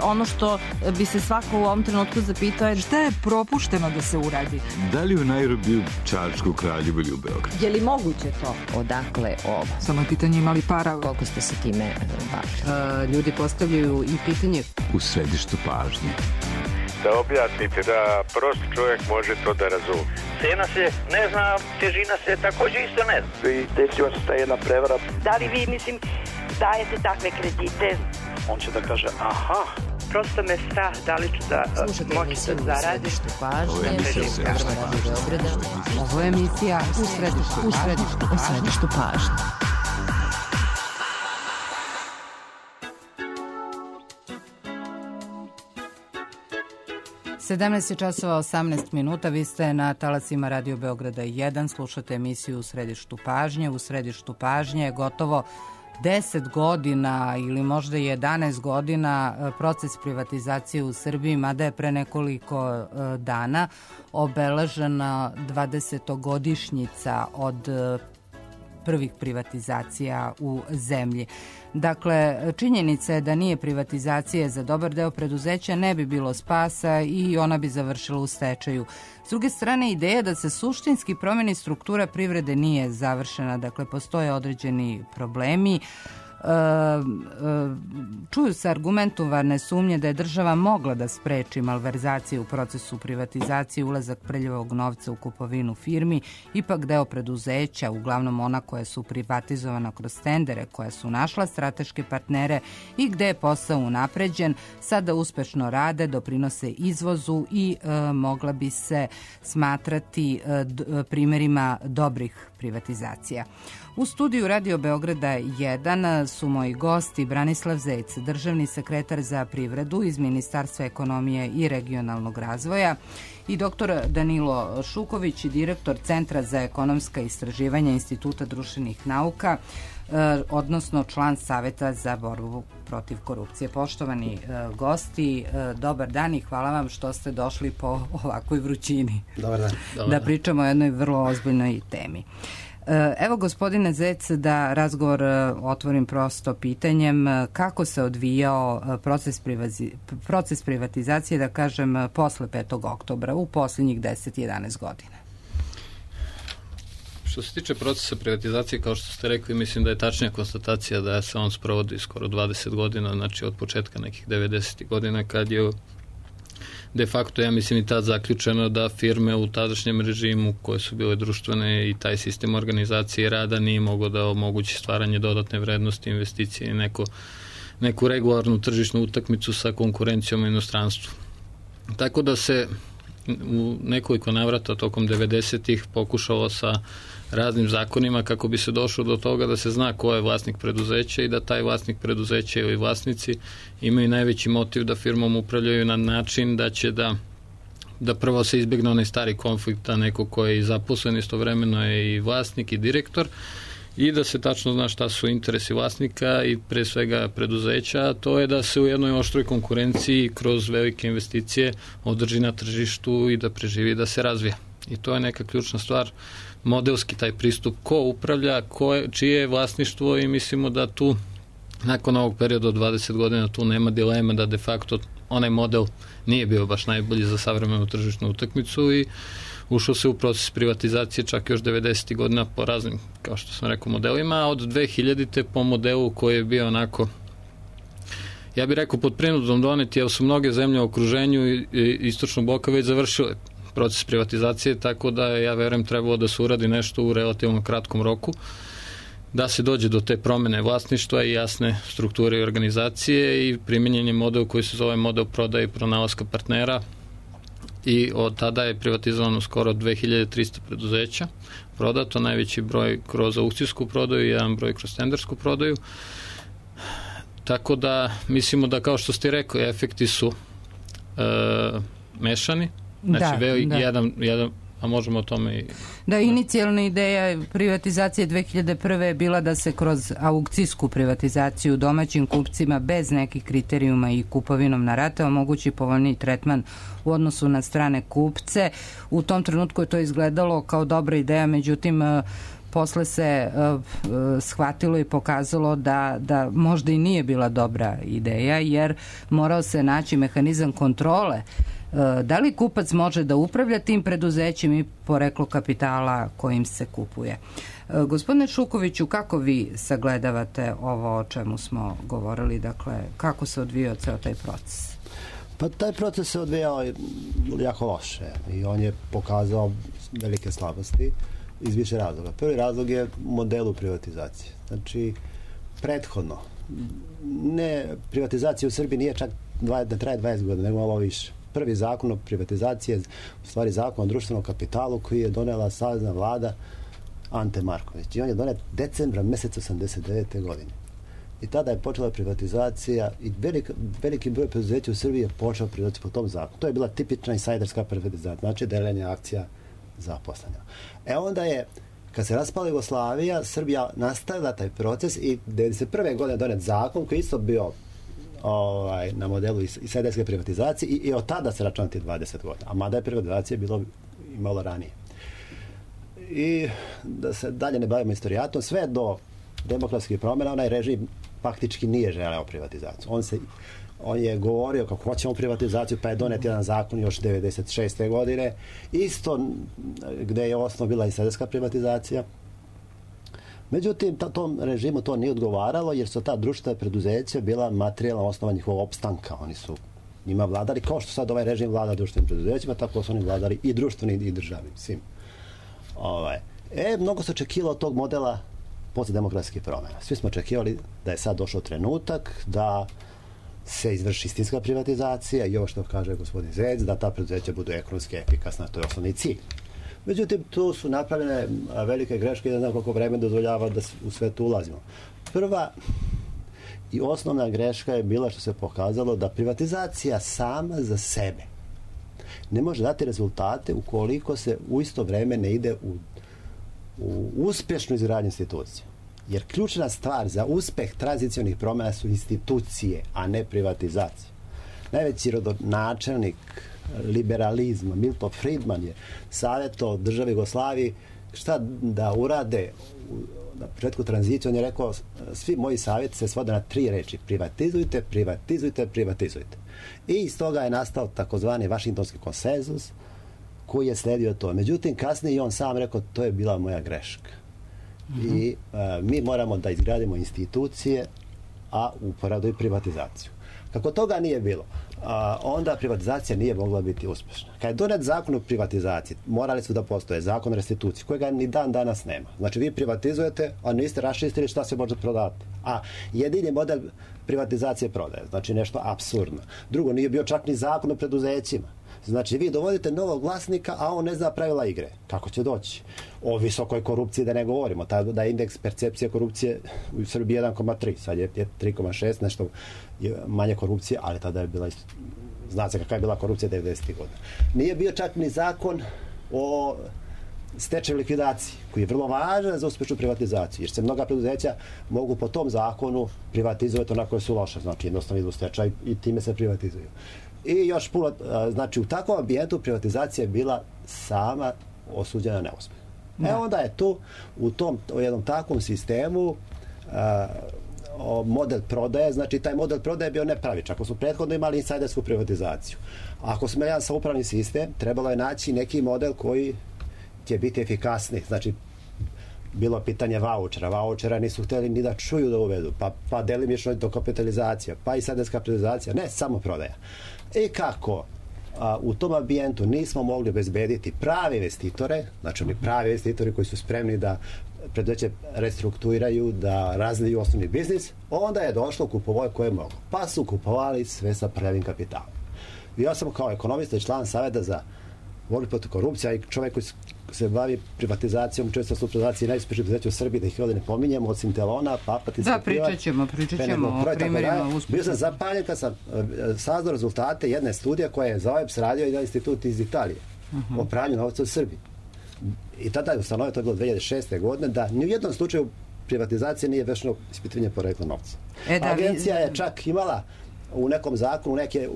ono što bi se svako u ovom trenutku zapitao je šta je propušteno da se uradi? Da li u Nairobiju, Čačku, Kraljevu ili u Beogradu? Je li moguće to? Odakle ovo? Samo je pitanje imali para. Koliko ste se time bavili? Ljudi postavljaju i pitanje. U središtu pažnje. Da objasnite, da prost čovjek može to da razume. Cena se ne zna, težina se također isto ne zna. I desila se ta jedna prevara. Da li vi, dajete takve kredite? On će da kaže, aha. Prosto me strah, da li ću da moći da zaradim. Ovo je emisija u središtu pažnje. Ovo je emisija u središtu pažnje. 17 časova 18 minuta, vi ste na talasima Radio Beograda 1, slušate emisiju U središtu pažnje. U središtu pažnje je gotovo 10 godina ili možda 11 godina proces privatizacije u Srbiji, mada je pre nekoliko dana obeležena 20-godišnjica od prvih privatizacija u zemlji. Dakle, činjenica je da nije privatizacije za dobar deo preduzeća, ne bi bilo spasa i ona bi završila u stečaju. S druge strane, ideja da se suštinski promeni struktura privrede nije završena, dakle, postoje određeni problemi. Čuju se argumentovane sumnje da je država mogla da spreči malverzacije u procesu privatizacije, ulazak prljavog novca u kupovinu firmi. Ipak deo preduzeća, uglavnom ona koja su privatizovana kroz tendere, koja su našla strateške partnere i gde je posao unapređen, sada uspešno rade, doprinose izvozu i mogla bi se smatrati primerima dobrih privatizacija. U studiju Radio Beograda 1 su moji gosti Branislav Zec, državni sekretar za privredu iz Ministarstva ekonomije i regionalnog razvoja, i dr. Danilo Šuković, direktor Centra za ekonomska istraživanja Instituta društvenih nauka, odnosno član Saveta za borbu protiv korupcije. Poštovani gosti, dobar dan i hvala vam što ste došli po ovakvoj vrućini. Dobar dan. Da pričamo o jednoj vrlo ozbiljnoj temi. Evo, gospodine Zec, da razgovor otvorim prosto pitanjem, kako se odvijao proces privatizacije, da kažem, posle 5. oktobra, u posljednjih 10-11 godina? Što se tiče procesa privatizacije, kao što ste rekli, mislim da je tačnija konstatacija da se on sprovodi skoro 20 godina, znači od početka nekih 90. godina, kad je de facto, ja mislim, i tad zaključeno da firme u tadašnjem režimu koje su bile društvene i taj sistem organizacije rada nije mogao da omogući stvaranje dodatne vrednosti, investicije i neku regularnu tržišnu utakmicu sa konkurencijom u inostranstvu. Tako da se u nekoliko navrata tokom 90-ih pokušalo sa raznim zakonima kako bi se došlo do toga da se zna ko je vlasnik preduzeća i da taj vlasnik preduzeća ili vlasnici imaju najveći motiv da firmom upravljaju na način da će da prvo se izbjegne onaj stari konflikt, da neko ko je i zaposlen istovremeno je i vlasnik i direktor, i da se tačno zna šta su interesi vlasnika i pre svega preduzeća, a to je da se u jednoj oštroj konkurenciji kroz velike investicije održi na tržištu i da preživi, da se razvija. I to je neka ključna stvar, modelski taj pristup, ko upravlja, čije je vlasništvo, i mislimo da tu nakon ovog perioda od 20 godina tu nema dilema da de facto onaj model nije bio baš najbolji za savremenu tržišnu utakmicu i ušao se u proces privatizacije čak još 90. godina po raznim, kao što sam rekao, modelima, a od 2000. po modelu koji je bio onako, ja bih rekao, pod prinudom doneti, jer su mnoge zemlje u okruženju i istočnog bloka već završile proces privatizacije, tako da ja verujem trebalo da se uradi nešto u relativno kratkom roku, da se dođe do te promene vlasništva i jasne strukture i organizacije, i primjenjen je model koji se zove model prodaje i pronalaska partnera, i od tada je privatizovano skoro 2300 preduzeća, prodato, najveći broj kroz aukcijsku prodaju i jedan broj kroz tendersku prodaju. Tako da mislimo da, kao što ste rekli, efekti su mešani. Znači, jedan, a možemo o tome i... Da, inicijalna ideja privatizacije 2001. je bila da se kroz aukcijsku privatizaciju domaćim kupcima bez nekih kriterijuma i kupovinom na rate omogući povoljniji tretman u odnosu na strane kupce. U tom trenutku je to izgledalo kao dobra ideja, međutim posle se shvatilo i pokazalo da možda i nije bila dobra ideja, jer morao se naći mehanizam kontrole. Da li kupac može da upravlja tim preduzećem i poreklo kapitala kojim se kupuje? Gospodine Šukoviću, kako vi sagledavate ovo o čemu smo govorili, dakle, kako se odvijao ceo taj proces? Pa taj proces se odvijao jako loše i on je pokazao velike slabosti iz više razloga. Prvi razlog je modelu privatizacije. Znači, prethodno, privatizacija u Srbiji nije čak da traje 20 godina, nego malo više. Prvi zakon o privatizaciji je u stvari zakon o društvenom kapitalu koji je donela savezna vlada Ante Marković. I on je donet decembra meseca 89. godine. I tada je počela privatizacija i veliki broj preduzeća u Srbiji je počeo privatizaciju po tom zakonu. To je bila tipična insajderska privatizacija, znači deljenje akcija zaposlenja. Onda je, kad se raspala Jugoslavija, Srbija nastavila taj proces i 1991. godine donet zakon koji isto bio na modelu insajderske privatizacije i od tada se računa ti 20 godina. A mada je privatizacija bilo i malo ranije. I da se dalje ne bavimo istorijatom, sve do demokratskih promjena, onaj režim faktički nije želeo privatizaciju. On je govorio kako hoćemo privatizaciju, pa je donet jedan zakon još 96. godine, isto gde je osnov bila insajderska privatizacija. Međutim, tom režimu to nije odgovaralo, jer su ta društvena preduzeća bila materijalna osnova njihovog opstanka. Oni su njima vladali, kao što sad ovaj režim vlada društvenim preduzećima, tako su oni vladali i društvenim i državnim, svim. Mnogo se očekivalo od tog modela posle demokratskih promjena. Svi smo očekivali da je sad došao trenutak da se izvrši istinska privatizacija i ovo što kaže gospodin Zec, da ta preduzeća budu ekonomski efikasna, to je osnovni cilj. Međutim, tu su napravljene velike greške i ne znam koliko vremena dozvoljava da u sve to ulazimo. Prva i osnovna greška je bila što se pokazalo da privatizacija sama za sebe ne može dati rezultate ukoliko se u isto vreme ne ide u uspješnu izgradnju institucija. Jer ključna stvar za uspeh tranzicionih promjena su institucije, a ne privatizacija. Najveći rodonačelnik liberalizma, Milton Friedman, je savjetovao državi Jugoslaviji šta da urade na početku tranzicije. On je rekao, svi moji savjeti se svode na 3 reči: privatizujte, privatizujte, privatizujte. I iz toga je nastao takozvani Vašingtonski konsenzus koji je sledio to. Međutim, kasnije i on sam rekao, to je bila moja greška. I mi moramo da izgradimo institucije, a uporadu i privatizaciju. Kako toga nije bilo, onda privatizacija nije mogla biti uspješna. Kad je donet zakon o privatizaciji, morali su da postoje zakon o restituciji, kojega ni dan danas nema. Znači, vi privatizujete, a niste raščistili šta se može prodati. A jedini model privatizacije prodaje. Znači, nešto apsurdno. Drugo, nije bio čak ni zakon o preduzećima. Znači, vi dovodite novog vlasnika, a on ne zna pravila igre. Kako će doći? O visokoj korupciji da ne govorimo. Da je indeks percepcije korupcije u Srbiji 1,3. Sad je 3,6, nešto manje korupcije, ali tada je bila, zna se kakva je bila korupcija 90. godina. Nije bio čak ni zakon o stečaju likvidaciji, koji je vrlo važan za uspješnu privatizaciju, jer se mnoga preduzeća mogu po tom zakonu privatizovati onako koje su loše. Znači, jednostavno idu u stečaj i time se privatizuju. I još puno, znači u takvom ambijentu privatizacija je bila sama osuđena na neuspjeh. Onda je tu u jednom takvom sistemu model prodaje, znači taj model prodaje je bio nepravičan. Ako smo prethodno imali insajdersku privatizaciju, ako smo jedan saupravni sistem, trebalo je naći neki model koji će biti efikasniji. Znači, bilo pitanje vaučera. Vaučera nisu htjeli ni da čuju da uvedu, pa delimično dokapitalizacija, pa i insajderska privatizacija, ne, samo prodaja. I kako u tom ambijentu nismo mogli obezbediti prave investitore, znači oni pravi investitori koji su spremni da preduzeće restrukturiraju, da razviju osnovni biznis, onda je došlo kupovoj koje mogu. Pa su kupovali sve sa prvim kapitalom. Ja sam kao ekonomista i član Saveta za borbu protiv korupcije, i čovjek koji se bavi privatizacijom, često su privatizacije najuspješnije preduzeća u Srbiji, da ih ovdje ne pominjemo, od Sintelona, Papatinska. Da, pričat ćemo o primjerima uspješnosti. Bio sam zapaljen kad sam saznao rezultate jedne studije koje je za OEBS radio jedan institut iz Italije o pranju novca u Srbiji. I tada je ustanovio, to je bilo 2006. godine, da ni u jednom slučaju privatizacije nije vršeno ispitivanje porekla novca. Agencija je čak imala u nekom zakonu neke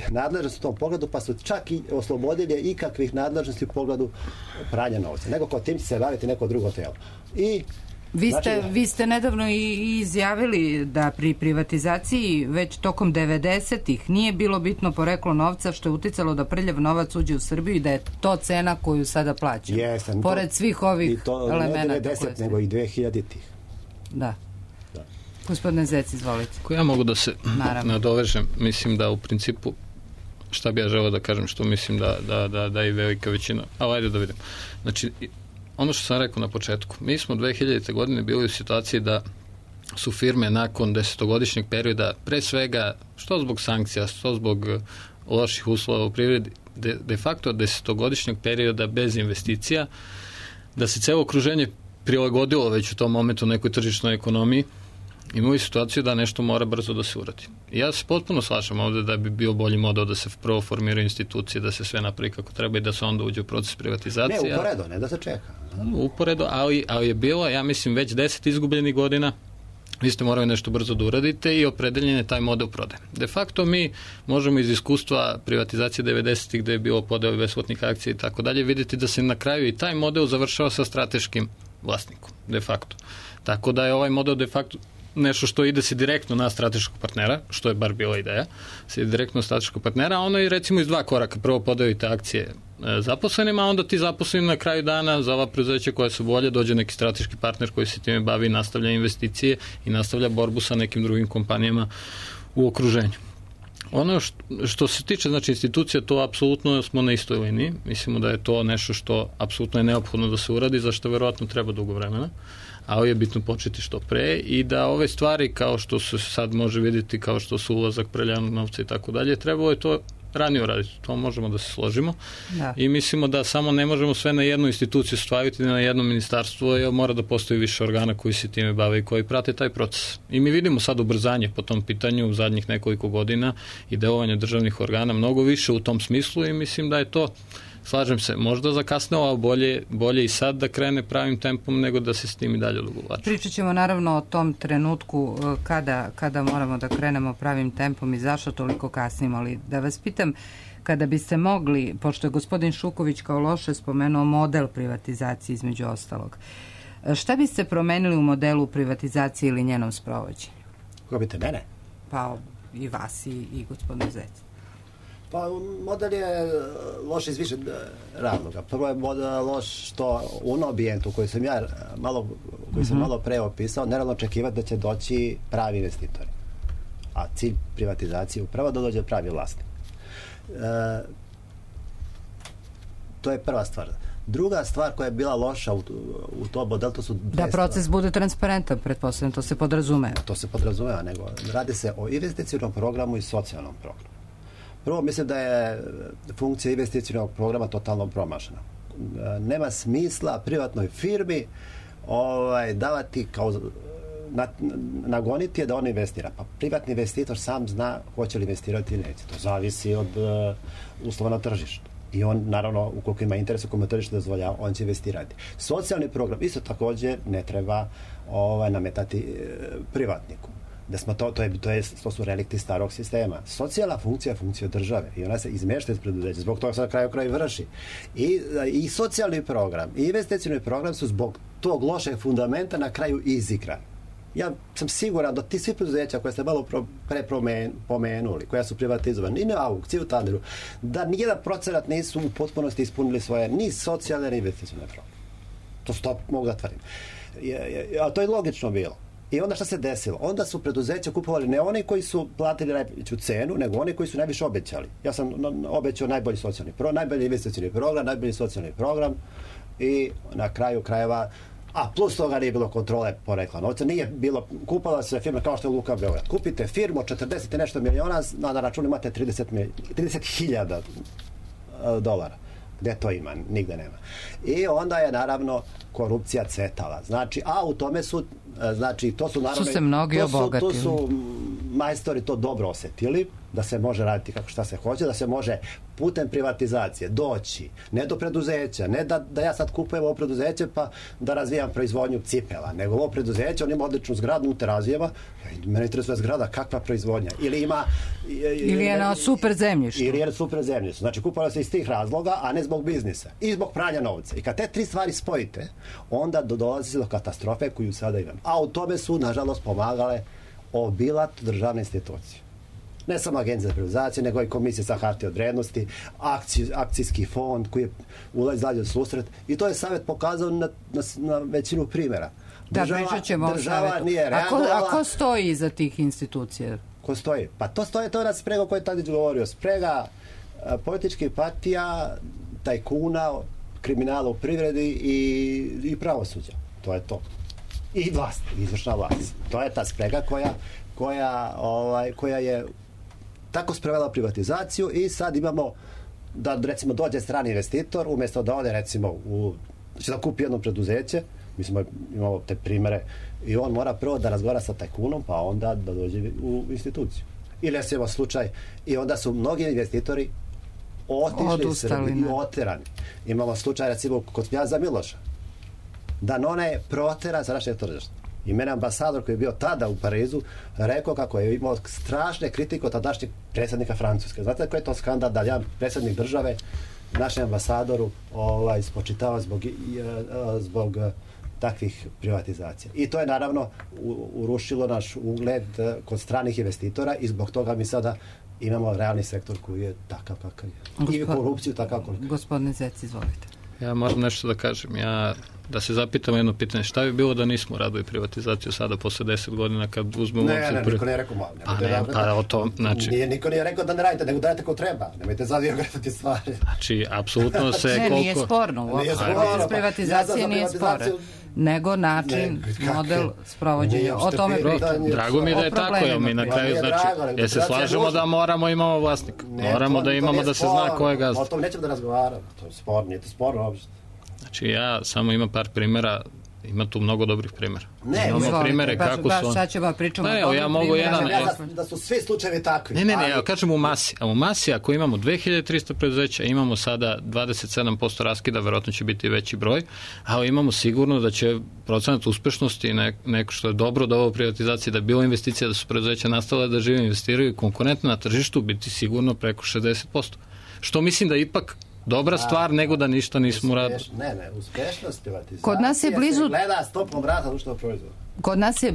nadležnosti u tom pogledu, pa su čak i oslobodili ikakvih nadležnosti u pogledu pranja novca. Nego kao tim će se baviti neko drugo telo. I Vi ste nedavno i izjavili da pri privatizaciji već tokom 90-ih nije bilo bitno poreklo novca, što je uticalo da prljav novac uđe u Srbiju i da je to cena koju sada plaćamo. Jesam. Pored svih ovih elemenata. I to ne 90, nego i 2000-ih. Da. Gospodine Zec, izvolite. Ko ja mogu da se nadovežem, mislim da u principu, šta bi ja želeo da kažem, što mislim da i velika većina, ali ajde da vidimo. Znači, ono što sam rekao na početku, mi smo 2000. godine bili u situaciji da su firme nakon 10-godišnjeg perioda, pre svega, što zbog sankcija, što zbog loših uslova u privredi, de facto 10-godišnjeg perioda bez investicija, da se celo okruženje prilagodilo već u tom momentu nekoj tržišnoj ekonomiji, imali situaciju da nešto mora brzo da se uradi. I ja se potpuno slažem ovde da bi bio bolji model da se prvo formiraju institucije, da se sve napravi kako treba i da se onda uđe u proces privatizacije. Ne, uporedo, ne da se čeka. Uporedo, ali je bilo, ja mislim, već 10 izgubljenih godina, vi ste morali nešto brzo da uradite i opredeljen je taj model prodaje. De facto mi možemo iz iskustva privatizacije 90-ih gde je bilo podeo besplatnih akcija i tako dalje vidjeti da se na kraju i taj model završava sa strateškim vlasnikom, de facto. Tako da je ovaj model de facto nešto što ide se direktno na strateškog partnera, što je bar bila ideja, se ide direktno na strateškog partnera, a ono je recimo iz dva koraka. Prvo podelite akcije zaposlenima, a onda ti zaposleni na kraju dana za ova preduzeća koja su bolje, dođe neki strateški partner koji se time bavi i nastavlja investicije i nastavlja borbu sa nekim drugim kompanijama u okruženju. Ono što se tiče, znači, institucija, to apsolutno smo na istoj liniji. Mislimo da je to nešto što apsolutno je neophodno da se uradi, zašto verovatno treba dugo vremena, ali je bitno početi što pre i da ove stvari, kao što se sad može vidjeti, kao što su ulazak preljanog novca i tako dalje, trebalo je to ranije uraditi. To možemo da se složimo. Da. I mislimo da samo ne možemo sve na jednu instituciju staviti, na jedno ministarstvo, jer mora da postoji više organa koji se time bave i koji prate taj proces. I mi vidimo sad ubrzanje po tom pitanju u zadnjih nekoliko godina i delovanje državnih organa mnogo više u tom smislu i mislim da je to, slažem se, možda zakasnilo, ali bolje i sad da krene pravim tempom nego da se s tim i dalje odugovlači. Pričat ćemo naravno o tom trenutku kada moramo da krenemo pravim tempom i zašto toliko kasnimo, ali da vas pitam, kada biste mogli, pošto je gospodin Šuković kao loše spomenuo model privatizacije između ostalog, šta biste promenili u modelu privatizacije ili njenom sprovođenju? Kako biste mene? Pa i vas i gospodin Zec. Pa model je loš iz više razloga. Prvo je model loš što u onom ambijentu koji sam ja malo pre opisao, nerealno očekivati da će doći pravi investitori. A cilj privatizacije je upravo da dođe pravi vlasnik. To je prva stvar. Druga stvar koja je bila loša u tom modelu, to su da proces bude transparentan, pretpostavljam, to se podrazumeva. To se podrazumeva, nego radi se o investicionom programu i socijalnom programu. Prvo, mislim da je funkcija investicionog programa totalno promašena. Nema smisla privatnoj firmi davati kao nagoniti je da on investira. Pa privatni investitor sam zna hoće li investirati ili neće. To zavisi od uslova na tržištu. I on, naravno, ukoliko ima interes, ukoliko tržište dozvoljava, on će investirati. Socijalni program isto također ne treba nametati privatniku. To su relikti starog sistema. Socijalna funkcija je funkcija države i ona se izmešta iz preduzeća. Zbog toga se na kraju vrši. I socijalni program i investicioni program su zbog tog lošeg fundamenta na kraju izigrani. Ja sam siguran da ti svi preduzeća koje ste malo pre pomenuli, koja su privatizovane, i na aukciji u Tanderu, da nijedan procenat nisu u potpunosti ispunili svoje ni socijalne ni investicione programe. To mogu da tvrdim. A to je logično bilo. I onda šta se desilo? Onda su preduzeća kupovali ne oni koji su platili najveću cenu, nego oni koji su najviše obećali. Ja sam obećao najbolji socijalni program, najbolji investicioni program, najbolji socijalni program i na kraju krajeva, plus toga nije bilo kontrole porekla novca, nije bilo, kupala se firma kao što je Luka Beograd. Kupite firmu od 40 i nešto miliona, na računu imate 30.000 dolara. Gde to ima? Nigde nema. I onda je naravno korupcija cvetala. Znači, u tome su, to su naravno... Su se mnogi obogatili. To su majstori to dobro osjetili, da se može raditi kako šta se hoće, da se može putem privatizacije doći, ne do preduzeća, ne da ja sad kupujem ovo preduzeće pa da razvijam proizvodnju cipela, nego ovo preduzeće, on ima odličnu zgradu u Terazijeva, mene interesuje zgrada, kakva proizvodnja, ili je na super zemljištu. Ili je super zemljištu. Znači, kupovalo se iz tih razloga, a ne zbog biznisa. I zbog pranja novca. I kad te tri stvari spojite, onda dolazi se do katastrofe koju sada imam. A u tome su, nažalost, pomagale obilat državne institucije. Ne samo Agencija za privatizaciju, nego i Komisija za hartije od vrednosti, akcijski fond koji je izlazio u susret. I to je savjet pokazao na većinu primjera. Pričat ćemo o savjetu. A ko stoji iza tih institucija? Ko stoji? Pa to je ona sprega o kojoj je Tadić govorio. Sprega političkih partija, tajkuna, kriminala u privredi i pravosuđa. To je to. I vlast, izvršna vlast. To je ta sprega koja je tako sprovela privatizaciju i sad imamo da recimo dođe strani investitor umjesto da ode recimo da kupi jedno preduzeće, mislim imamo te primere i on mora prvo da razgovara sa tajkunom pa onda da dođe u instituciju. Ili recimo slučaj i onda su mnogi investitori otišli i oterani. Imamo slučaj recimo kod Knjaza Miloša da None protera sa našeg tržišta. I mene ambasador koji je bio tada u Parizu rekao kako je imao strašne kritike od tadašnjeg predsjednika Francuske. Znate koji je to skandal da jedan predsjednik države našem ambasadoru spočitava zbog takvih privatizacija. I to je naravno urušilo naš ugled kod stranih investitora i zbog toga mi sada imamo realni sektor koji je takav kakav je. I korupciju takav koliko. Gospodine Zec, izvolite. Ja moram nešto da kažem. Da se zapitamo jedno pitanje. Šta bi bilo da nismo radili privatizaciju sada posle 10 godina kad uzmemo... Niko nije rekao malo. Pa o to, znači... Niko nije rekao da ne radite, nego dajete ko treba. Nemojte sad gledati stvari. Znači, apsolutno se koliko... Nije sporno. Privatizacija nije sporno. Nego način, model sprovođenja. O tome pričamo. Drago mi je da je tako, jer mi na kraju znači, jer se slažemo da moramo imamo vlasnika. Moramo da imamo da se zna ko je gazda. O tom nećemo da razgovaramo. To je sporno, nije to sporno uopšte. Znači ja samo imam par primjera, ima tu mnogo dobrih primjera. Imamo primere kako su... Sad ćemo pričamo. Ja mogu jedan... Da su svi slučajevi takvi. Ne, ja kažem u masi. A u masi ako imamo 2300 preduzeća, imamo sada 27% raskida, verovatno će biti veći broj, ali imamo sigurno da će procenat uspešnosti neko što je dobro do ovo privatizacije, da je bilo investicija, da su preduzeća nastavile da žive, investiraju i konkurentno na tržištu biti sigurno preko 60%. Što mislim da ipak dobra stvar nego da ništa nismo radili. Ne, uspešnost privatizacije kod nas je blizu, se gleda stopom rasta društvenog proizvoda. Kod nas je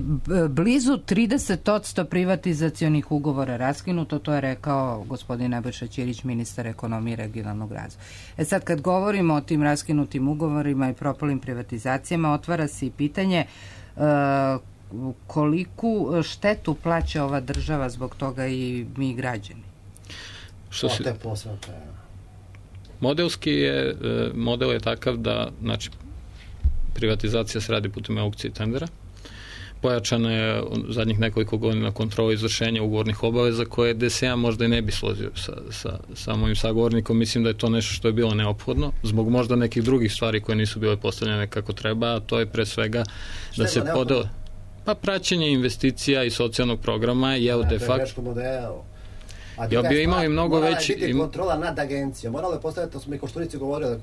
blizu 30% privatizacionih ugovora raskinuto, to je rekao gospodin Nebojša Ćirić, ministar ekonomije i regionalnog razvoja. Sad kad govorimo o tim raskinutim ugovorima i propalim privatizacijama, otvara se i pitanje koliku štetu plaća ova država zbog toga i mi građani. Modelski model je takav da, znači, privatizacija se radi putem aukcije i tendera. Pojačana je zadnjih nekoliko godina kontrola izvršenja ugovornih obaveza koje DSA možda i ne bi složio sa mojim sagovornikom. Mislim da je to nešto što je bilo neophodno, zbog možda nekih drugih stvari koje nisu bile postavljene kako treba, a to je pre svega da se podele. Pa praćenje investicija i socijalnog programa je de facto... Ja bi imao i mnogo veći... Morala je biti kontrola nad agencijom. Moralo je postaviti, to smo i Koštunici govorili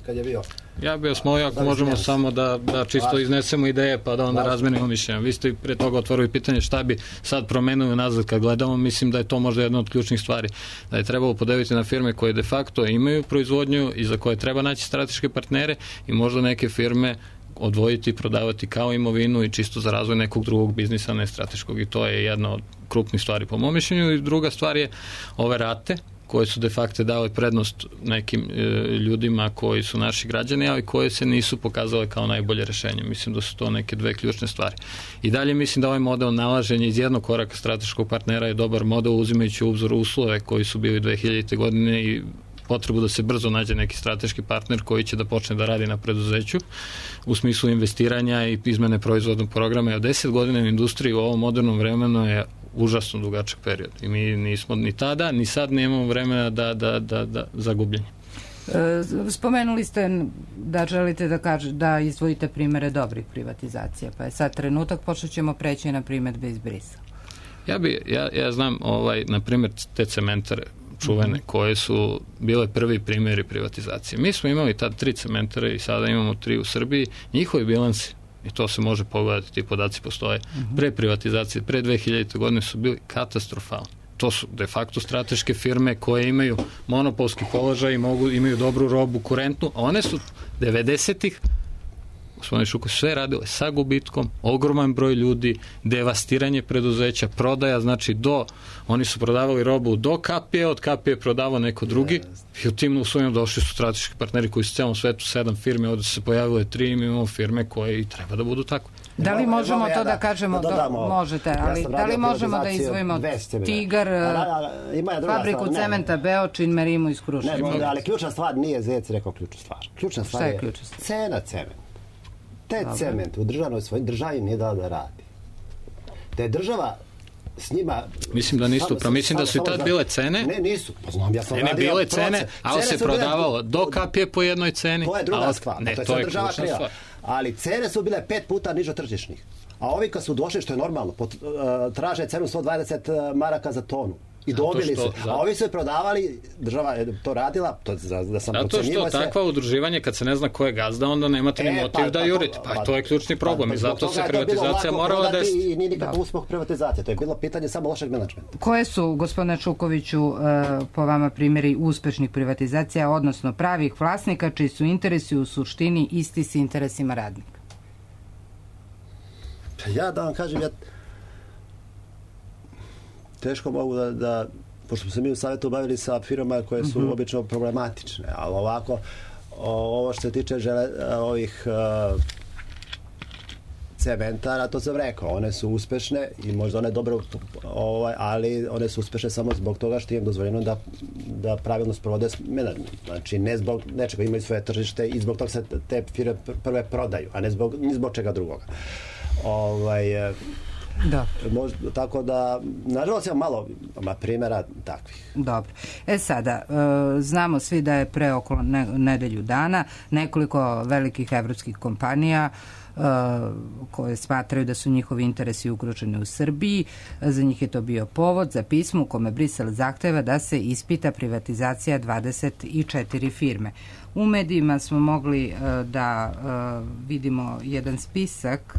kad je bio. Ja bih vas molio, ako možemo samo da čisto iznesemo ideje pa da onda razmenimo mišljenja. Vi ste pre toga otvorili pitanje šta bi sad promenili nazad kad gledamo. Mislim da je to možda jedna od ključnih stvari. Da je trebalo podeliti na firme koje de facto imaju proizvodnju i za koje treba naći strateške partnere i možda neke firme odvojiti i prodavati kao imovinu i čisto za razvoj nekog drugog biznisa, ne strateškog, i to je jedna od krupnih stvari po mom mišljenju. I druga stvar je ove rate koje su de facto dale prednost nekim ljudima koji su naši građani, ali koje se nisu pokazale kao najbolje rešenje. Mislim da su to neke dve ključne stvari. I dalje mislim da ovaj model nalaženja iz jednog koraka strateškog partnera je dobar model, uzimajući u obzir uslove koji su bili 2000. godine i potrebu da se brzo nađe neki strateški partner koji će da počne da radi na preduzeću u smislu investiranja i izmene proizvodnog programa. 10 godina u industriji u ovom modernom vremenu je užasno dugačak period i mi nismo ni tada ni sad nemamo vremena da zagubljenje. Spomenuli ste da želite da izdvojite primere dobrih privatizacija, pa je sad trenutak, počet ćemo preći na primedbe iz Brisela. Ja znam, na primjer, te cementare čuvene, koje su bile prvi primjeri privatizacije. Mi smo imali tad 3 cementare i sada imamo 3 u Srbiji. Njihovi bilansi, i to se može pogledati, ti podaci postoje, pre privatizacije, pre 2000. godine su bili katastrofalni. To su de facto strateške firme koje imaju monopolski položaj i imaju dobru robu, kurentnu, a one su 90-ih gospodine Šuko, sve radile sa gubitkom, ogroman broj ljudi, devastiranje preduzeća, prodaja, znači oni su prodavali robu do kapije, od kapije prodavao neko drugi i u tim uslovima došli su strateški partneri koji su u celom svetu 7 firme, ovdje su se pojavile 3 i mi imamo firme koje i treba da budu tako. Da li možemo to da kažemo, možete, ali da li možemo da izvojimo Tigar, fabriku cementa Beočin, Merimu iz Kruševa? Ne, ali ključna stvar nije Zec rekao ključnu stvar. Ključna stvar je cena cementa. Te cement u državi nije dao da radi. Da je država s njima... Mislim da nisu, mislim da su i tad bile cene. Ne, nisu. Pa znam, ja sam radio proces. Bile cene, ali se prodavalo do kapije po jednoj ceni. To je druga stvar. To je država kriva. Ali cene su bile 5 puta niže tržišnih. A ovi kad su došli, što je normalno, traže cenu 120 maraka za tonu. I dobili su. A ovi su je prodavali, država je to radila, da sam procenjivo se... Zato što takva udruživanje, kad se ne zna ko je gazda, onda nemate ni motiv da jurite. Pa to je ključni problem i zato se privatizacija morala desiti. I nije nikakav uspeh privatizacije. To je bilo pitanje samo lošeg menadžmenta. Koje su, gospodine Čukoviću, po vama primjeri uspešnih privatizacija, odnosno pravih vlasnika, čiji su interesi u suštini isti s interesima radnika? Ja da vam kažem, teško mogu da, pošto smo se mi u savjetu bavili sa firmama koje su obično problematične, ali ovako, ovo što se tiče ovih cementara, to sam rekao, one su uspešne i možda one dobro, ali one su uspešne samo zbog toga što im je dozvoljeno da pravilno sprovode menadžment. Znači, ne zbog nečega, imaju svoje tržište i zbog toga se te firme prve prodaju, a ni zbog čega drugoga. Da. Tako da, nažalost, imam malo primjera takvih. Dobro. Sada, znamo svi da je pre oko nedelju dana nekoliko velikih evropskih kompanija koje smatraju da su njihovi interesi ugroženi u Srbiji. Za njih je to bio povod za pismo u kome Brisel zahteva da se ispita privatizacija 24 firme. U medijima smo mogli da vidimo jedan spisak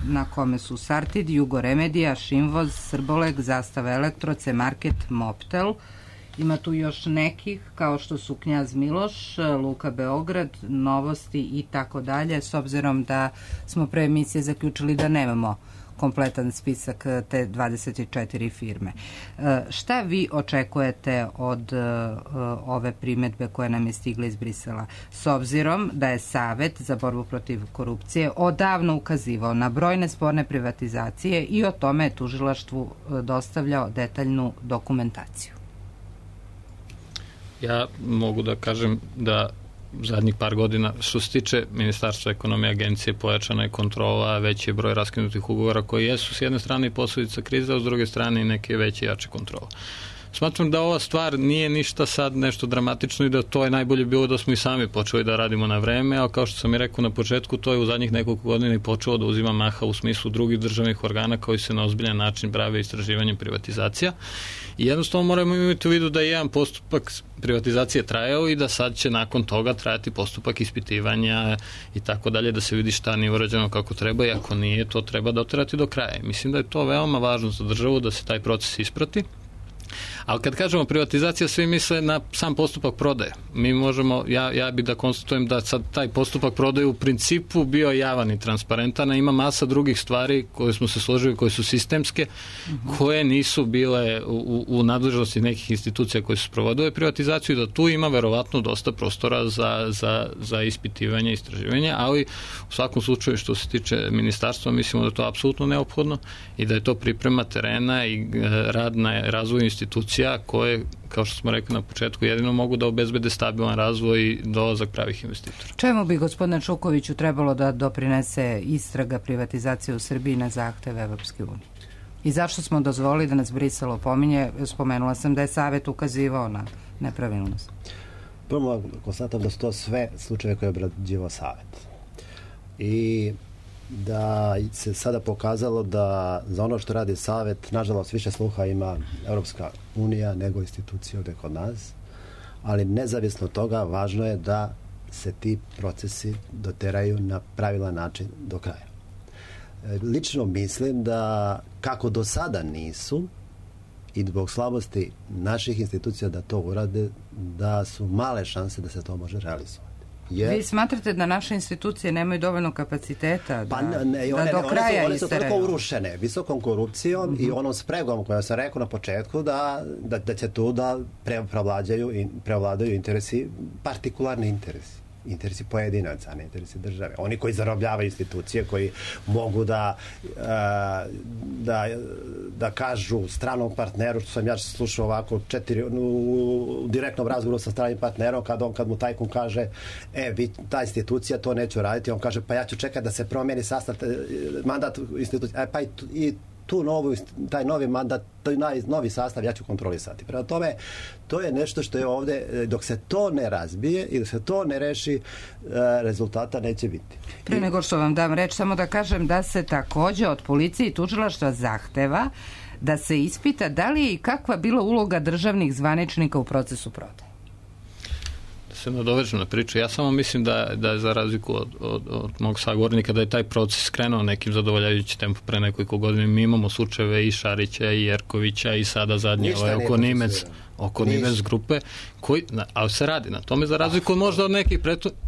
na kome su Sartid, Jugoremedija, Šinvoz, Srboleg, Zastava Elektro, C-Market, Moptel. Ima tu još nekih, kao što su Knjaz Miloš, Luka Beograd, Novosti i tako dalje, s obzirom da smo pre emisije zaključili da nemamo kompletan spisak te 24 firme. Šta vi očekujete od ove primedbe koje nam je stigla iz Brisela? S obzirom da je Savet za borbu protiv korupcije odavno ukazivao na brojne sporne privatizacije i o tome je tužilaštvu dostavljao detaljnu dokumentaciju. Ja mogu da kažem da zadnjih par godina, što se tiče Ministarstva ekonomije, agencije, pojačana je kontrola, veći je broj raskinutih ugovora koji jesu s jedne strane i posledica krize, a s druge strane i neke veće i jače kontrole. Smatram da ova stvar nije ništa sad nešto dramatično i da to je najbolje bilo da smo i sami počeli da radimo na vreme, ali kao što sam i rekao na početku, to je u zadnjih nekoliko godina i počelo da uzima maha u smislu drugih državnih organa koji se na ozbiljan način bave istraživanjem privatizacija. I jednostavno moramo imati u vidu da je jedan postupak privatizacije trajao i da sad će nakon toga trajati postupak ispitivanja i tako dalje, da se vidi šta nije urađeno kako treba i ako nije, to treba doterati do kraja. Mislim da je to veoma važno za državu da se taj proces isprati. Ali kad kažemo privatizacija, svi misle na sam postupak prodaje. Mi možemo, ja bih da konstatujem da sad taj postupak prodaje u principu bio javan i transparentan, a ima masa drugih stvari koje smo se složili, koje su sistemske, koje nisu bile u nadležnosti nekih institucija koje su sprovodile privatizaciju i da tu ima verovatno dosta prostora za ispitivanje i istraživanje, ali u svakom slučaju što se tiče ministarstva, mislimo da je to apsolutno neophodno i da je to priprema terena i rad na razvoju institucija koje, kao što smo rekli na početku, jedino mogu da obezbede stabilan razvoj i dolazak pravih investitora. Čemu bi, gospodine Čukoviću, trebalo da doprinese istraga privatizacije u Srbiji na zahteve Evropske unije? I zašto smo dozvolili da nas Brisel opominje? Spomenula sam da je Savet ukazivao na nepravilnost. Prvo konstatujem da su to sve slučajeve koje je obrađivao Savet. I da se sada pokazalo da za ono što radi Savet, nažalost, više sluha ima Europska unija nego institucije ovde kod nas, ali nezavisno od toga važno je da se ti procesi doteraju na pravilan način do kraja. Lično mislim da kako do sada nisu i zbog slabosti naših institucija da to urade, da su male šanse da se to može realizovati. Vi smatrate da naše institucije nemaju dovoljno kapaciteta da do kraja one su toliko urušene visokom korupcijom i onom spregom koja sam rekao na početku da će tu da prevladaju interesi, partikularni interesi pojedinaca, ne interesi države. Oni koji zarobljavaju institucije, koji mogu da kažu stranom partneru, što sam ja slušao ovako u direktnom razgovoru sa stranim partnerom, kad mu tajkun kaže ta institucija to neće raditi, on kaže pa ja ću čekati da se promijeni sastav, mandat institucije, pa i taj novi mandat, taj novi sastav ja ću kontrolisati. Prema tome, to je nešto što je ovde, dok se to ne razbije i dok se to ne reši, rezultata neće biti. Pre nego što vam dam reč, samo da kažem da se takođe od policije i tužilaštva zahteva da se ispita da li je i kakva bila uloga državnih zvaničnika u procesu prodaje. Se nadovežem na priču. Ja samo mislim da je za razliku od mog sagovornika da je taj proces krenuo nekim zadovoljavajući tempo pre nekoliko godina. Mi imamo slučajeve i Šarića i Jerkovića i sada zadnje oko Nimec grupe, ali se radi na tome za razliku možda od nekih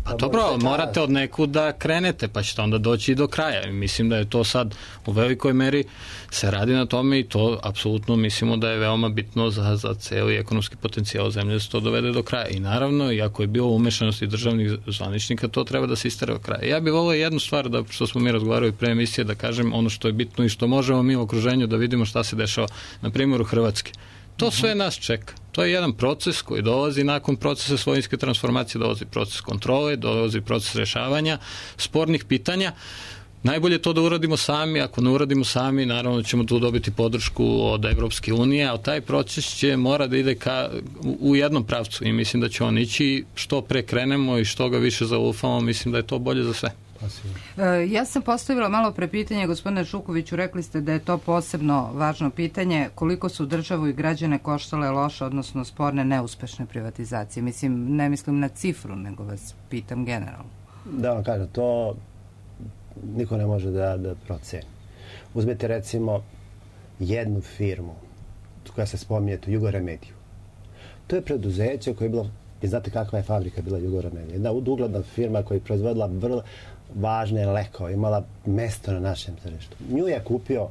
pa dobro, morate od nekud da krenete, pa ćete onda doći i do kraja. I mislim da je to sad u velikoj meri se radi na tome i to apsolutno mislimo da je veoma bitno za celi ekonomski potencijal zemlje da se to dovede do kraja. I naravno, iako je bilo umešanosti državnih zvaničnika, to treba da se istera do kraja. Ja bih volio jednu stvar, što smo mi razgovarali pre emisije, da kažem ono što je bitno i što možemo mi u okruženju da vidimo šta se dešava, na primjeru Hrvatske. To sve nas čeka. To je jedan proces koji dolazi nakon procesa svojinske transformacije, dolazi proces kontrole, dolazi proces rešavanja spornih pitanja. Najbolje to da uradimo sami, ako ne uradimo sami, naravno ćemo tu dobiti podršku od Evropske unije, a taj proces će mora da ide u jednom pravcu i mislim da će on ići što pre krenemo i što ga više zaufamo, mislim da je to bolje za sve. Ja sam postavila malo pre pitanje, gospodine Šukoviću, rekli ste da je to posebno važno pitanje, koliko su državu i građane koštale loše, odnosno sporne, neuspešne privatizacije. Ne mislim na cifru, nego vas pitam generalno. Da vam kažem, to niko ne može da proceni. Uzmite recimo jednu firmu koja se spominje tu, Jugoremediju. To je preduzeće koje je bilo, i znate kakva je fabrika bila Jugoremedija, jedna ugledna firma koja je proizvodila vrlo važne lekove, imala mesto na našem tržištu. Nju je kupio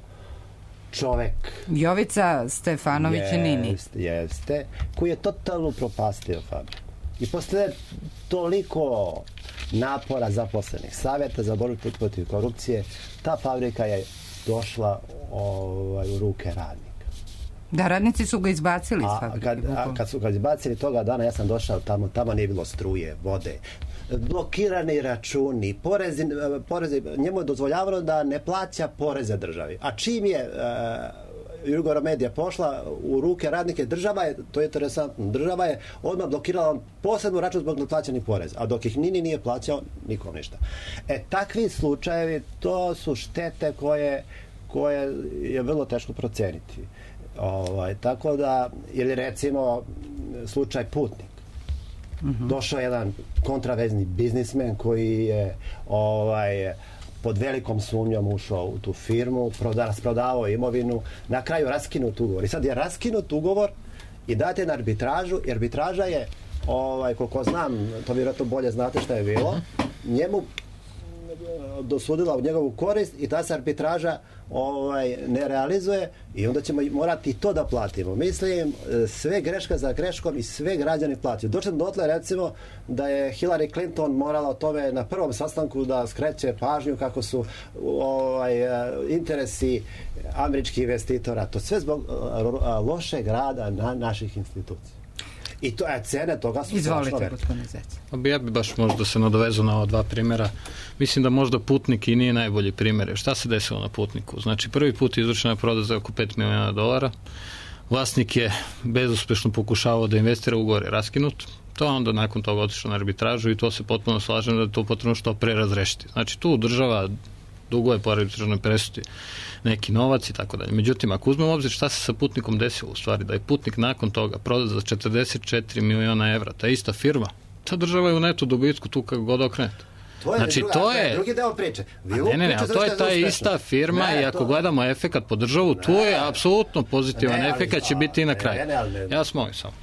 čovek Jovica Stefanović Nini. Jeste, koji je totalno upropastio fabriku. I posle toliko napora zaposlenih, savjeta za borbu protiv korupcije, ta fabrika je došla u ruke radnika. Da, radnici su ga izbacili iz fabrike. Kad su ga izbacili toga dana, ja sam došao tamo nije bilo struje, vode, blokirani računi, porezi, njemu je dozvoljavano da ne plaća poreze državi. A čim je Jugoremedija pošla u ruke radnike, država je, to je interesantno, država je odmah blokirala posebnu račun zbog neplaćenih poreza, a dok ih Nini nije plaćao, nikom ništa. Takvi slučajevi, to su štete koje je vrlo teško proceniti. Tako da, ili recimo slučaj Putnik. Došao jedan kontravezni biznismen koji je pod velikom sumnjom ušao u tu firmu, rasprodavao imovinu, na kraju raskinut ugovor. I sad je raskinut ugovor i date na arbitražu, i arbitraža je, koliko znam, to vjerojatno bolje znate šta je bilo, njemu dosudila u njegovu korist i ta se arbitraža ne realizuje i onda ćemo morati to da platimo. Mislim, sve greška za greškom i sve građani plaćaju. Došli dotle, recimo, da je Hillary Clinton morala o tome na prvom sastanku da skreće pažnju kako su interesi američkih investitora. To sve zbog lošeg rada naših institucija. I to cene toga su strašno velike. Ja bi baš možda se nadovezao na ova dva primjera. Mislim da možda Putnik i nije najbolji primjer. Šta se desilo na Putniku? Znači, prvi put je izvršena prodaja za oko $5 miliona. Vlasnik je bezuspešno pokušavao da investira, ugovor je raskinut. To onda nakon toga otišao na arbitražu i to se potpuno slažem da je to potrebno što pre razrešiti. Znači, tu država dugove po arbitražnoj presudi neki novac i tako dalje. Međutim, ako uzmemo obzir šta se sa Putnikom desilo u stvari, da je Putnik nakon toga prodat za 44 miliona evra, ta ista firma, ta država je u netu dobitku tu kako god okrenete. To je drugi deo priče. To je ta ista firma i ako gledamo efekat po državu, tu je apsolutno pozitivan efekat će biti i na kraju. Ja vas molim samo.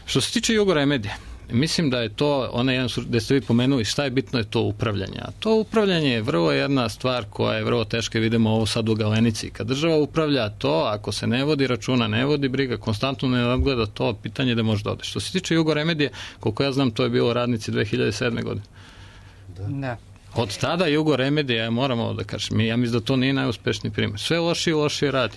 Što se tiče Jugoremedije, mislim da je to, onaj jedan gde ste vi pomenuli, šta je bitno je to upravljanje. A to upravljanje je vrlo jedna stvar koja je vrlo teška, vidimo ovo sad u Galenici. Kad država upravlja to, ako se ne vodi računa, ne vodi briga, konstantno ne nadgleda to, pitanje da može da ode. Što se tiče Jugoremedije, koliko ja znam, to je bilo radnici 2007. godine. Da. Od tada Jugoremedija, ja moramo da kažem, ja mislim da to nije najuspešniji primjer. Sve lošije radi.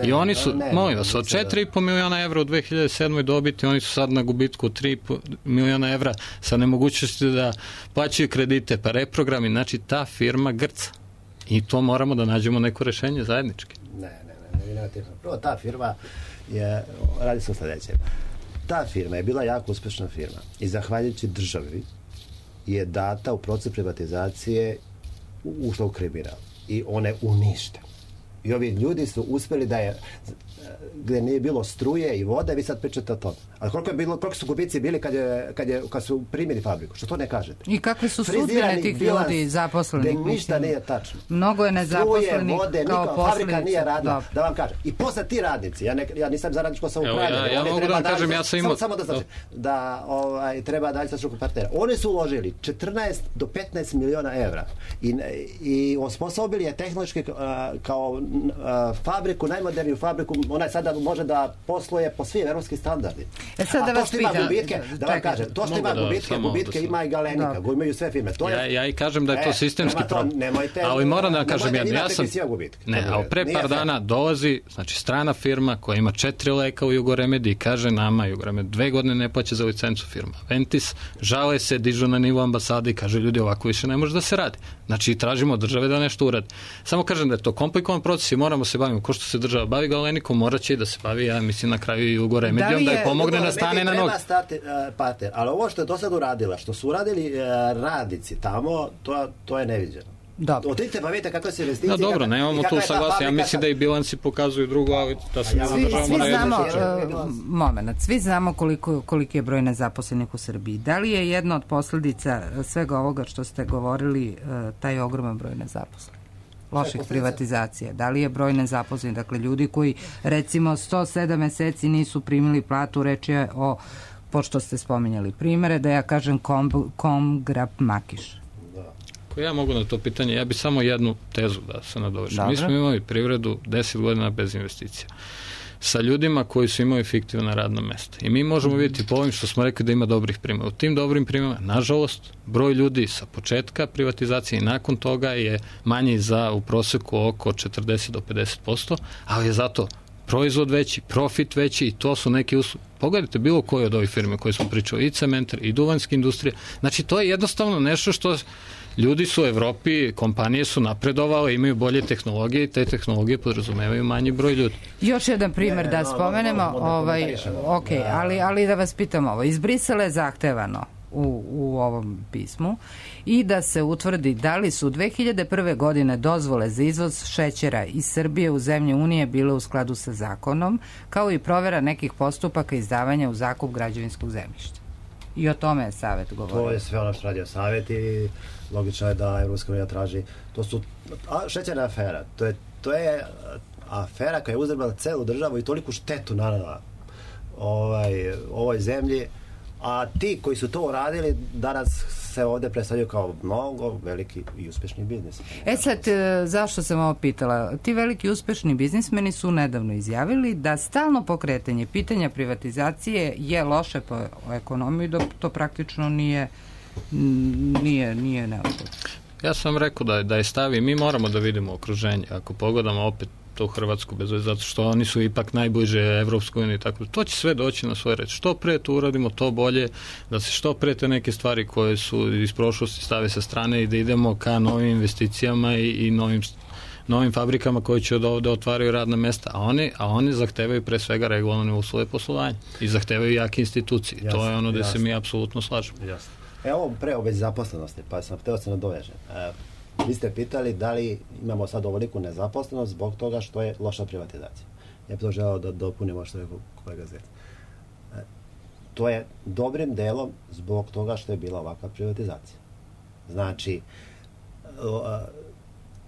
I oni su, molim vas, od 4,5 miliona evra u 2007. dobiti, oni su sad na gubitku 3,5 miliona evra sa nemogućnosti da plaćaju kredite, pa reprogrami, znači ta firma grca. I to moramo da nađemo neko rešenje zajednički. Prvo, ta firma radi se o sledećem. Ta firma je bila jako uspešna firma i zahvaljujući državi je data u proces privatizacije ušla u kriminal i one unište. I ovi ljudi su uspeli da je gde nije bilo struje i vode, vi sad pričate o tome. Ali koliko su gubici bili kad su primili fabriku? Što to ne kažete? I kakve su sudbine tih ljudi zaposlenih? Ništa nije tačno. Mnogo je nezaposlenih kao posljedica. Fabrika nije radila, da vam kažem. I posle ti radnici, ja nisam za radničko samoupravljanje. Ja mogu da vam kažem, ja sam imao... Samo da znači, da treba dalje sa struku partnera. Oni su uložili 14 do 15 miliona evra i osposobili je tehnološki kao fabriku, najmoderniju fabriku, ona sada može da posluje po svim evropskim standardima. Sad da vas pitam. Da vam kažem, to što ima gubitke ima i Galenika, imaju sve firme. Ja i kažem da je to sistemski problem. Ali moram da kažem jedno, ja sam... ali pre par dana dolazi, znači strana firma koja ima 4 leka u Jugoremediji i kaže nama Jugoremedija 2 godine ne plaća za licencu firma. Ventis žale se, dižu na nivo ambasade i kaže ljudi ovako više ne može da se radi. Znači tražimo od države da nešto uradi. Samo kažem da je to komplikovan proces i moramo se baviti, ko što se država bavi Galenikom, mora će i da se bavi, ja mislim na kraju i Jugoremedijom, da je pomogne da stane na noge. Ali ovo što je do sad uradila, što su uradili radnici tamo, to je neviđeno. Otidite pa vidite kakve se investicije... Dobro, nemamo tu saglasno. Ja mislim da i bilansi pokazuju drugo, ali da se svi znamo koliki je broj nezaposlenih u Srbiji. Da li je jedna od posljedica svega ovoga što ste govorili taj ogroman broj nezaposlenih? Loših privatizacija. Da li je broj nezaposlenih? Dakle, ljudi koji recimo 107 meseci nisu primili platu, reč je o, pošto ste spominjali primere, da ja kažem Komgrap Makiš. Ja mogu na to pitanje, ja bi samo jednu tezu da se nadovršim. Mi smo imali privredu 10 godina bez investicija. Sa ljudima koji su imali fiktivna radna mesta. I mi možemo vidjeti po ovim što smo rekli da ima dobrih primjera. U tim dobrim primjerima, nažalost, broj ljudi sa početka privatizacije i nakon toga je manji za u proseku oko 40 do 50%, ali je zato proizvod veći, profit veći i to su neki usluge. Pogledajte bilo koje od ovih firme koje smo pričali, i cementar, i duvanska industrija. Znači, to je jednostavno nešto što ljudi su u Evropi, kompanije su napredovale, imaju bolje tehnologije i te tehnologije podrazumevaju manji broj ljudi. Još jedan primjer da spomenemo, ali da vas pitam ovo. Iz Brisela je zahtevano u ovom pismu i da se utvrdi da li su 2001. godine dozvole za izvoz šećera iz Srbije u zemlje Unije bile u skladu sa zakonom, kao i provera nekih postupaka izdavanja u zakup građevinskog zemljišta. I o tome je Savet govorio. To je sve ono što radio Savet i logično je da Evropska unija traži. To su šećerna afera. To je afera koja je uzrmala celu državu i toliku štetu nanela ovoj zemlji. A ti koji su to uradili danas se ovdje predstavljaju kao mnogo veliki i uspešni biznis. Sad, zašto sam ovo pitala? Ti veliki uspešni biznismeni su nedavno izjavili da stalno pokretanje pitanja privatizacije je loše po ekonomiju, dok to praktično nije neophodno. Ja sam rekao da je stavi, mi moramo da vidimo okruženje. Ako pogledamo opet to Hrvatsku, bez veze, zato što oni su ipak najbliže Evropskoj uniji, tako da to će sve doći na svoj red. Što pre to uradimo, to bolje, da se što pre te neke stvari koje su iz prošlosti stave sa strane i da idemo ka novim investicijama i novim fabrikama koje će od ovde otvaraju radna mesta, a oni zahtevaju pre svega regularne uslove poslovanja i zahtevaju jake institucije. Jasne, to je ono gde se mi apsolutno slažemo. Jasne. Evo pre o već zaposlenosti, pa sam hteo se nadovežem. Vi ste pitali da li imamo sad ovoliku nezaposlenost zbog toga što je loša privatizacija. Ja bih to želeo da dopunimo što je kolega Zec. To je dobrim delom zbog toga što je bila ovakva privatizacija. Znači,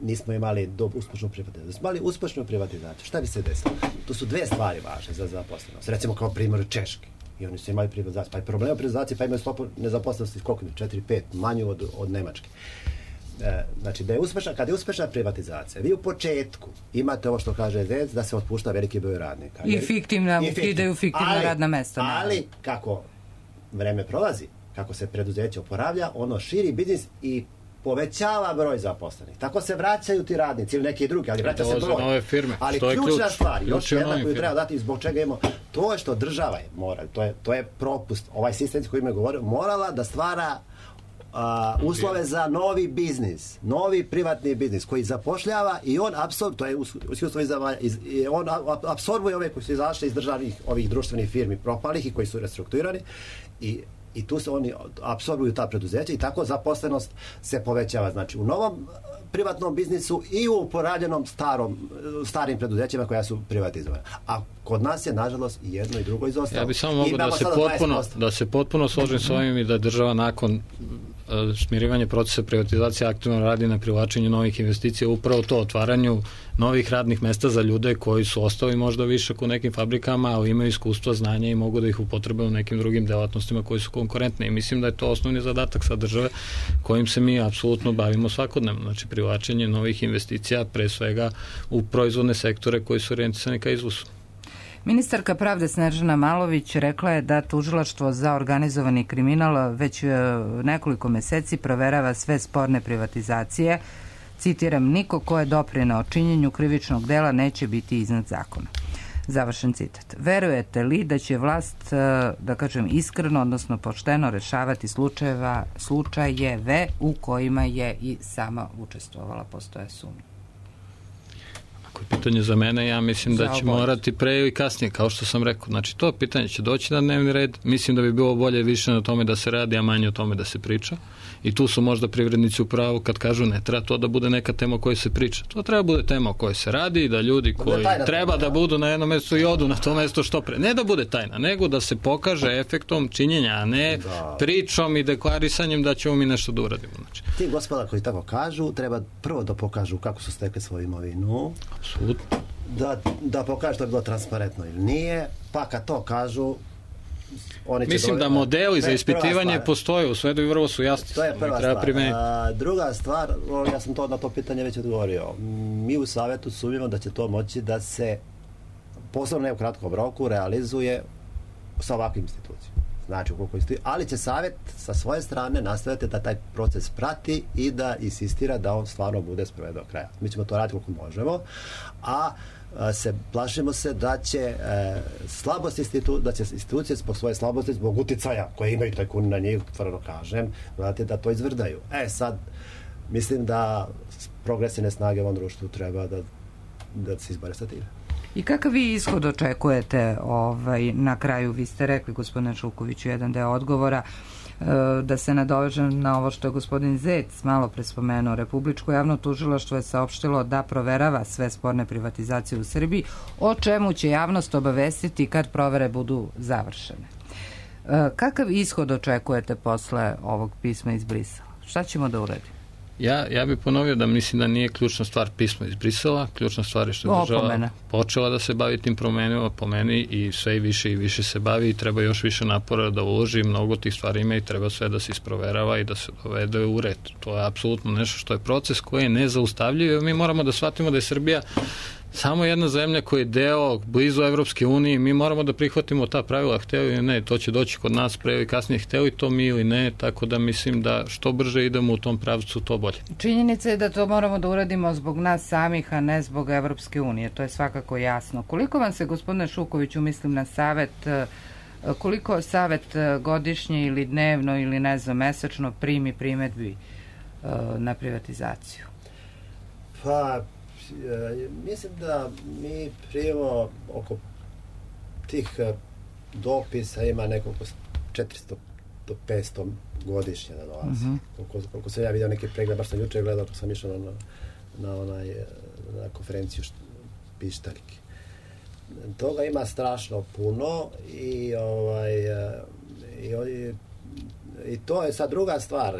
nismo imali uspešnu privatizaciju. Smo imali uspešnu privatizaciju. Šta bi se desilo? Tu su dve stvari važne za zaposlenost. Recimo kao primjer Češke. I oni su imali privatizaciju. Pa je problem u privatizaciji, pa imaju stopu nezaposlenosti koliko mi? 4-5, manju od Nemačke. Znači, kad je uspešna privatizacija, vi u početku imate ovo što kaže Zec, da se otpušta veliki broj radnika. I ukidaju fiktivna radna mesta. Ali, kako vreme prolazi, kako se preduzeće oporavlja, ono širi biznis i povećava broj zaposlenih. Tako se vraćaju ti radnici ili neki drugi, ali vraća se broj. Nove firme. Ali ključna stvar, još jedna koju treba dati zbog čega imamo, to je što država je morala, to je propust, ovaj sistem koji me govorio, morala da stvara uslove za novi biznis, novi privatni biznis koji zapošljava i on apsorbuje ove koji su izašli iz državnih ovih društvenih firmi propalih i koji su restrukturirani i tu se oni apsorbuju ta preduzeća i tako zaposlenost se povećava. Znači u novom privatnom biznisu i u porađenom starim preduzećima koja su privatizovane. A kod nas je, nažalost, i jedno i drugo izostalo. Ja bih samo mogao da se potpuno složim s ovim i da država nakon smirivanja procesa privatizacije aktivno radi na privlačenju novih investicija, upravo to, otvaranju novih radnih mesta za ljude koji su ostali možda višak u nekim fabrikama, ali imaju iskustva, znanja i mogu da ih upotrebe u nekim drugim delatnostima koji su konkurentne. I mislim da je to osnovni zadatak sa države kojim se mi apsolutno bavimo svakodnevno. Znači, privlačenje novih investicija, pre svega u proizvodne sektore koji su orijentisani ka izvozu. Ministarka pravde Snežana Malović rekla je da tužilaštvo za organizovani kriminal već nekoliko meseci proverava sve sporne privatizacije. Citiram, niko ko je doprineo činjenju krivičnog dela neće biti iznad zakona. Završen citat. Verujete li da će vlast, da kažem iskreno, odnosno pošteno rešavati slučajeve u kojima je i sama učestvovala? Postoje sumnje. Pitanje za mene, ja mislim da će morati pre i kasnije, kao što sam rekao. Znači, to pitanje će doći na dnevni red. Mislim da bi bilo bolje više na tome da se radi, a manje o tome da se priča. I tu su možda privrednici u pravu kad kažu ne treba to da bude neka tema o kojoj se priča. To treba bude tema o kojoj se radi i da ljudi koji treba da budu na jednom mestu i odu na to mesto što pre. Ne da bude tajna, nego da se pokaže efektom činjenja, a ne pričom i deklarisanjem da ćemo mi nešto da uradimo. Znači, ti gospoda koji tako kažu, treba prvo da pokažu kako su stekli svoju imovinu. Apsolutno. Da pokažu da je bilo transparentno ili nije, pa kad to kažu, mislim da modeli za ispitivanje postoje u svetu i vrlo su jasni. To je prva stvar. Druga stvar, ja sam na to pitanje već odgovorio. Mi u Savetu sumnjamo da će to moći da se posebno ne u kratkom roku realizuje sa ovakvim institucijama. Znači, ali će Savet sa svoje strane nastaviti da taj proces prati i da insistira da on stvarno bude sproveden do kraja. Mi ćemo to raditi koliko možemo, a plašimo se da će institucije zbog svoje slabosti, zbog uticaja koje imaju tajkuni na njih, tvrdo kažem, da to izvrdaju. Sad, mislim da progresivne snage u ovom društvu treba da se izbore sa time. I kakav vi ishod očekujete na kraju? Vi ste rekli, gospodine Žukoviću, jedan deo odgovora, da se nadovežem na ovo što je gospodin Zec malo pre spomenuo. Republičko javno tužilaštvo je saopštilo da proverava sve sporne privatizacije u Srbiji, o čemu će javnost obavestiti kad provere budu završene. Kakav ishod očekujete posle ovog pisma iz Brisela? Šta ćemo da uradimo? Ja bih ponovio da mislim da nije ključna stvar pismo iz Brisela, ključna stvar je što je država počela da se bavi tim promenima, po meni i sve i više se bavi i treba još više napora da uloži, mnogo tih stvari ima i treba sve da se isproverava i da se dovede u red. To je apsolutno nešto što je proces koji je nezaustavljiv i mi moramo da shvatimo da je Srbija samo jedna zemlja koja je deo blizu Evropske unije, mi moramo da prihvatimo ta pravila, hteli ili ne, to će doći kod nas pre ili kasnije, hteli to mi ili ne, tako da mislim da što brže idemo u tom pravcu, to bolje. Činjenica je da to moramo da uradimo zbog nas samih, a ne zbog Evropske unije, to je svakako jasno. Koliko vam se, gospodine Šukoviću, mislim na Savet, koliko Savet godišnje ili dnevno ili ne znam, mesečno primi primedbi na privatizaciju? Pa, mislim da mi primimo oko tih dopisa ima nekoliko 400 do 500 godišnje da dolazi. Koliko sam ja vidio neke pregled, baš sam juče gledao, ako sam išao na konferenciju pištaljke. Toga ima strašno puno i to je sad druga stvar.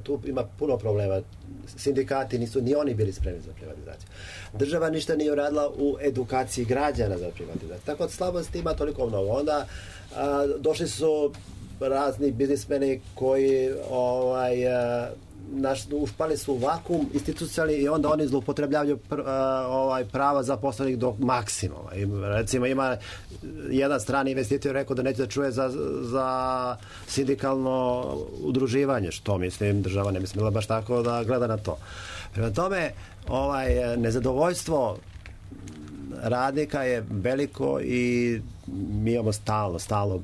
Tu ima puno problema. Sindikati nisu ni oni bili spremni za privatizaciju. Država ništa nije uradila u edukaciji građana za privatizaciju. Tako da slabosti ima toliko mnogo. Onda došli su razni biznismeni koji ušpali su u vakuum institucionalni i onda oni zloupotrebljavaju prava zaposlenih do maksimuma. Recimo ima jedan strani investitor rekao da neće da čuje za sindikalno udruživanje, što mislim država ne bi smjela baš tako da gleda na to. Prema tome nezadovoljstvo radnika je veliko i mi imamo stalno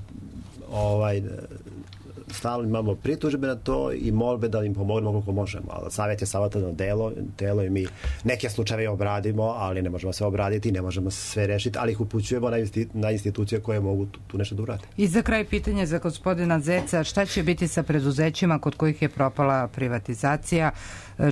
imamo pritužbe na to i molbe da im pomognemo koliko možemo. Ali savjet je savjetodavno telo i mi neke slučajeve obradimo, ali ne možemo sve obraditi, ne možemo sve rešiti, ali ih upućujemo na institucije koje mogu tu nešto da urade. I za kraj pitanje za gospodina Zeca, šta će biti sa preduzećima kod kojih je propala privatizacija?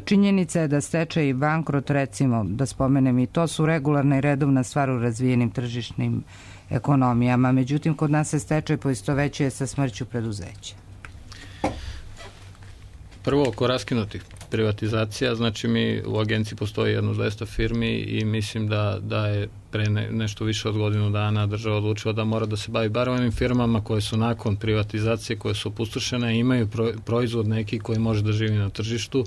Činjenica je da stečaj i bankrot, recimo, da spomenem i to, su regularna i redovna stvar u razvijenim tržišnim ekonomijama. Međutim, kod nas se stečaj poistovećuje sa smrću preduzeća. Prvo, oko raskinutih privatizacija, znači mi u agenciji postoji jedno 200 firmi i mislim da je pre nešto više od godinu dana država odlučila da mora da se bavi bar onim firmama koje su nakon privatizacije, koje su opustošene, imaju proizvod neki koji može da živi na tržištu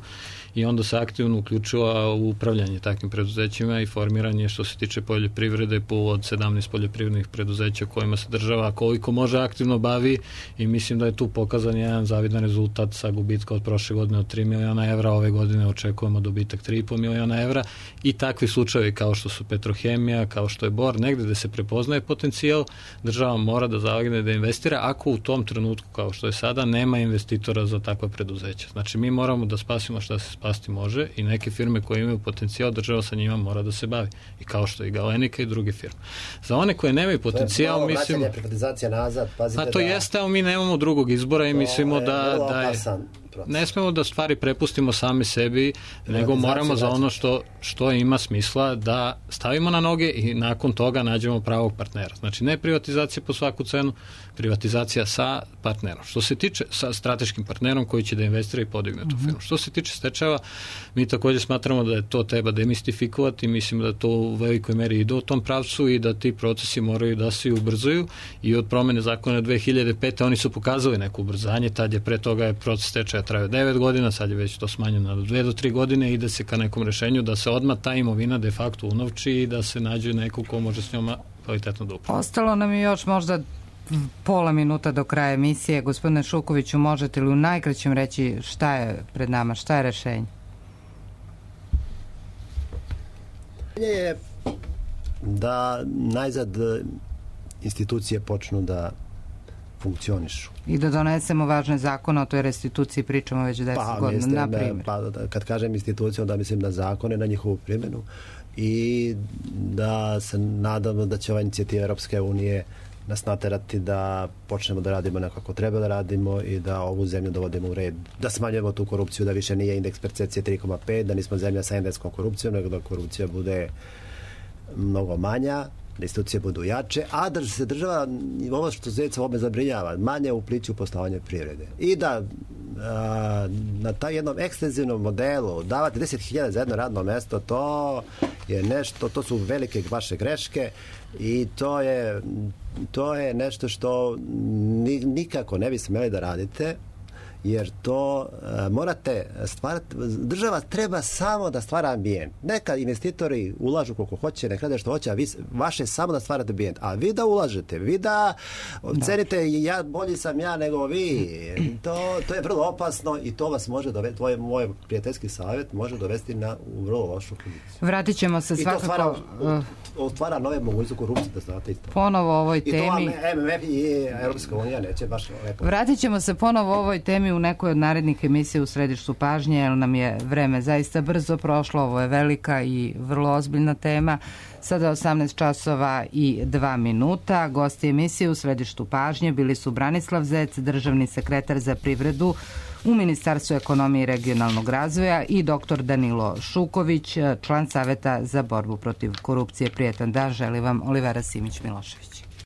i onda se aktivno uključila u upravljanje takvim preduzećima i formiranje što se tiče poljoprivrede od 17 poljoprivrednih preduzeća kojima se država koliko može aktivno bavi i mislim da je tu pokazan jedan zavidan rezultat sa gubitka od prošle godine od 3 miliona evra, ove godine očekujemo dobitak 3,5 miliona evra i takvi slučajevi kao što su Petrohemija, kao što je Bor, negde gde se prepoznaje potencijal, država mora da zalegne da investira ako u tom trenutku, kao što je sada, nema investitora za takva preduzeća. Znači mi moramo da spasimo šta se spasti može i neke firme koje imaju potencijal, država sa njima mora da se bavi. I kao što je Galenika i druge firme. Za one koje nemaju potencijal, mislimo... To je privatizacija nazad, pazite to jeste, ali mi nemamo drugog izbora i mislimo da je... Ne smemo da stvari prepustimo sami sebi, nego moramo za ono što ima smisla da stavimo na noge i nakon toga nađemo pravog partnera. Znači ne privatizacija po svaku cenu, privatizacija sa partnerom. Što se tiče sa strateškim partnerom koji će da investira i podigne tu firmu. Što se tiče stečajeva, mi također smatramo da je to treba demistifikovati, mislimo da to u velikoj meri ide u tom pravcu i da ti procesi moraju da se ubrzaju i od promene zakona 2005. oni su pokazali neko ubrzanje, tad je pre toga je proces stečaja trajao 9 godina, sad je već to smanjeno na 2 do 3 godine i ide se ka nekom rešenju da se odmah ta imovina de facto unovči i da se nađe neko ko može s njoma kvalitetno da upravlja. Ostalo nam je još možda pola minuta do kraja emisije. Gospodine Šukoviću, možete li u najkraćem reći šta je pred nama, šta je rešenje? Je da najzad institucije počnu da funkcionišu. I da donesemo važne zakone, o toj restituciji pričamo već 10 godina, na primjer. Kad kažem institucije, onda mislim na zakone, na njihovu primjenu i da se nadamo da će ova inicijativa Europske unije nas naterati da počnemo da radimo nekako treba da radimo i da ovu zemlju dovodimo u red, da smanjujemo tu korupciju, da više nije indeks percepcije 3,5, da nismo zemlja sa endekskom korupcijom, nego da korupcija bude mnogo manja, da institucije budu jače, a da se država, ovo što Zeca ovome zabrinjava, manje upliči u poslovanje privrede. I da na taj jednom ekstenzivnom modelu davati 10.000 za jedno radno mesto, to je nešto, to su velike vaše greške i to je nešto što nikako ne bi smeli da radite, jer to morate stvarati, država treba samo da stvara ambijent. Neka investitori ulažu koliko hoće, neka rade što hoće, a vaše samo da stvarate ambijent. A vi da ulažete, vi da cenite bolji sam ja nego vi. To je vrlo opasno i to vas može dovesti, moj prijateljski savjet može dovesti u vrlo lošu poziciju. Vratit ćemo se svakako... otvara nove mogućnosti korupcije, da znate isto. Ponovo ovoj temi... I to MMF i Europska unija neće baš lepo. Vratit ćemo se ponovo ovoj temi u nekoj od narednih emisija u središtu pažnje, jer nam je vreme zaista brzo prošlo, ovo je velika i vrlo ozbiljna tema. Sada 18 časova i 2 minuta. Gosti emisije u središtu pažnje bili su Branislav Zec, državni sekretar za privredu u Ministarstvu ekonomije i regionalnog razvoja, i dr. Danilo Šuković, član Saveta za borbu protiv korupcije. Prijetan dan želi vam Olivera Simić-Milošević.